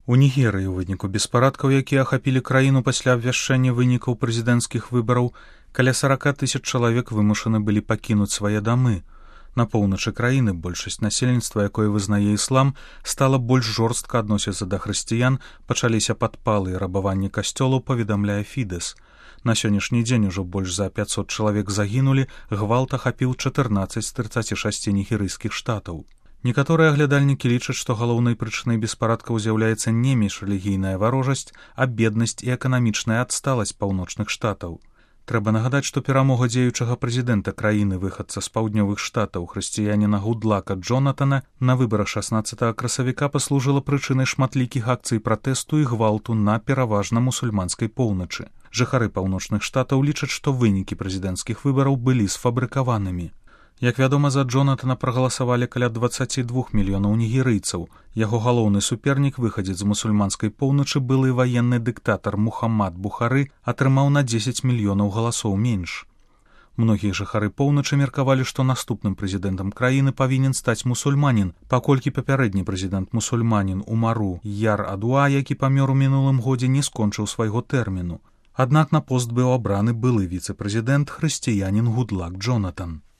У Нігерыі ў выніку беспарадкаў, якія ахапілі краіну пасля абвяшчэння вынікаў прэзідэнцкіх выбараў, каля 40 000 чалавек вымушаны былі пакінуць свае дамы. На поўначы краіны большасць насельніцтва, якое вызнае іслам, стала больш жорстка адносіцца да хрысціян, пачаліся падпалы і рабаванні касцёлаў, паведамляе Фідэс. На сённяшні дзень ужо больш за 500 чалавек загінулі, гвалт ахапіў 14 з 36 нігерыйскіх штатаў. Некаторыя аглядальнікі лічаць, што галоўнай прычынай беспарадкаў з'яўляецца не міжрэлігійная варожасць, а беднасць і эканамічная адсталасць паўночных штатаў. Трэба нагадаць, што перамога дзеючага прэзідэнта краіны выхадца з паўднёвых штатаў хрысціяніна Гудлака Джонатана на выбарах 16 красавіка паслужыла прычынай шматлікіх акцый пратэсту і гвалту на пераважна мусульманскай поўначы. Жыхары паўночных штатаў лічаць, што вынікі прэзідэнцкіх выбараў былі сфабрыкаванымі. Як вядома, за Джонатана прагаласавалі каля 22 мільёнаў нігерыйцаў. Яго галоўны супернік, выхадзец з мусульманскай поўначы, былы ваенны дыктатар Мухаммад Бухары, атрымаў на 10 мільёнаў галасоў менш. Многія жыхары поўначы меркавалі, што наступным прэзідэнтам краіны павінен стаць мусульманін, паколькі папярэдні прэзідэнт-мусульманін Умару Яр-Адуа, які памёр у мінулым годзе, не скончыў свайго тэрміну. Аднак на пост быў абраны былы віцэ-прэзідэнт хрысціянін Гудлак Джонатан.